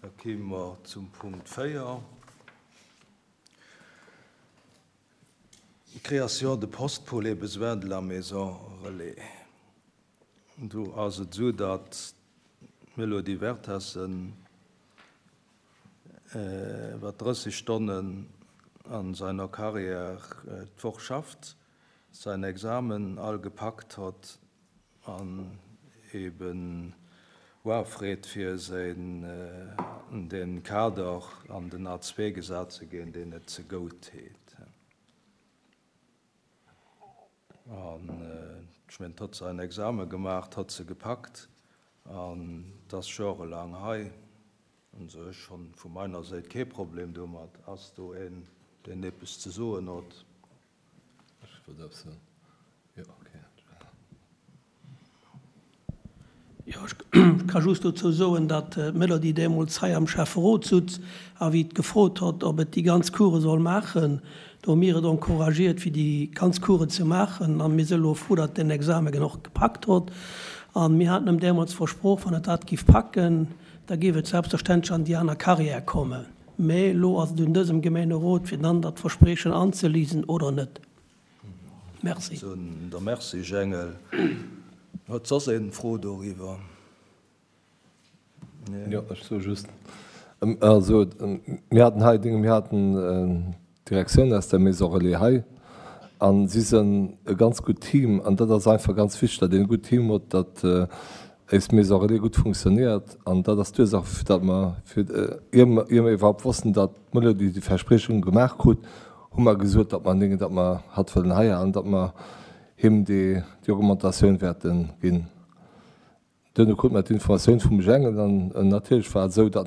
Da kéime mer zum Punkt 4, Création de postes pour les besoins de la Maison relais. Do ass et esou, datt d'Mélodie Vertessen iwwer 30 Stonnen a seiner Carrière d'Woch schafft, säin Examen all gepackt hott an eben oafreet fir an den Kader an den A2 gesat ze ginn, deen et ze gout heet. An ech mengen, hott sain Examen gemaacht, hott se gepackt an 't ass jorelaang hei. Also ech honn vu meiner Séit kee Problem domat. Ass do een, deen eppes ze soen hott? Ech wollt eppes soen. Jo, ok. Jo, ech ka just dozou soen, datt d'Melody deemools hei am Schäfferot sutz a wéi et gefrot hott, ob et déi ganz Course soll maachen, do hu mir et encouragiert, fir déi ganz Course ze maachen a mir si elo frou, datt den Examen och gepackt hott. A mir haten em deemools versproch, wann et dat giff packen, da géif et selbstverständlech an déi aner Carrière kommen. Mä elo ass et un dësem Gemeenerot, fir dann dat Versprechen anzelisen oder net. Merci. Da merci, Jengel. Huet soss een Fro doriwwer? Nee. Jo, ech soe just, also mir haten hei Dinge, mir haten d'Direktioun aus der Maison Relais hei a si sënn e ganz gutt Team an dat ass einfach ganz wichteg, datt een e gutt Team huet, datt éis Maison Relais gutt funktionéiert an dat ass d'Ursaach, fir datt mer, fir ier mer iwwerhaupt wossten, datt d'Melodie déi Verspriechung gemaach krut, hu mer gesot, datt mer Dinge, datt mer hatt wëllen hei halen, datt mer him déi Augmentatioun wäerte ginn. Duerno krut mer d'Informatioun vum Jengel an natierlech war et esou, datt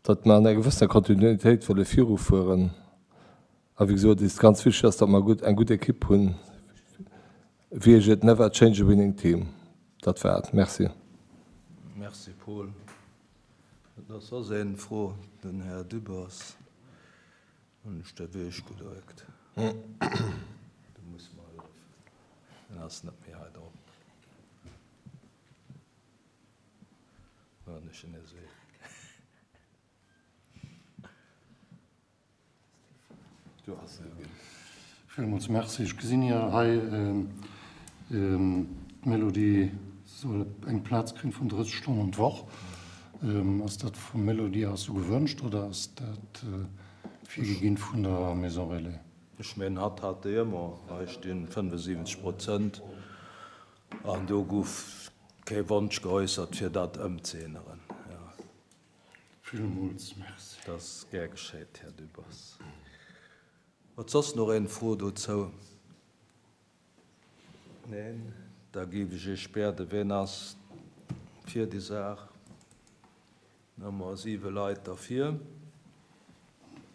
datt mer an enger gewëssener Kontinuitéit wëlle virufueren. A wéi gesot, et ass ganz wichteg ass, datt mer gutt eng gutt Ekipp hunn. Wéi heescht et, Never change a winning team. Dat war et. Merci. Merci Paul. Et ass soss een Fro, den Här Dübbers. Hunn ech der Weech gedréckt. Du muss mer hëllefen. En ass net méi hei drop. Wann ech en esou. Du has se ginn. Villmools Merci. Ech gesinn jo hei, d'Melodie soll eng Plaz kréien vun 30 Stonnen d'Woch. Ass dat vum Melodie aus sou gewënscht oder ass dat virgeginn vun der Maison Relais? Ech mengen, hatt hat déi ëmmer. Hei stinn 75 Prozent an do gouf kee Wonsch geäussert, fir dat ëmzeänneren. Villmools Merci. Dat ass gär geschéit, Här Dübbers. Huet soss nach een Fro dozou? Neen? Da géif ech Iech bieden, ween ass fir déi Saach? Da hu mer siwe Leit derfir.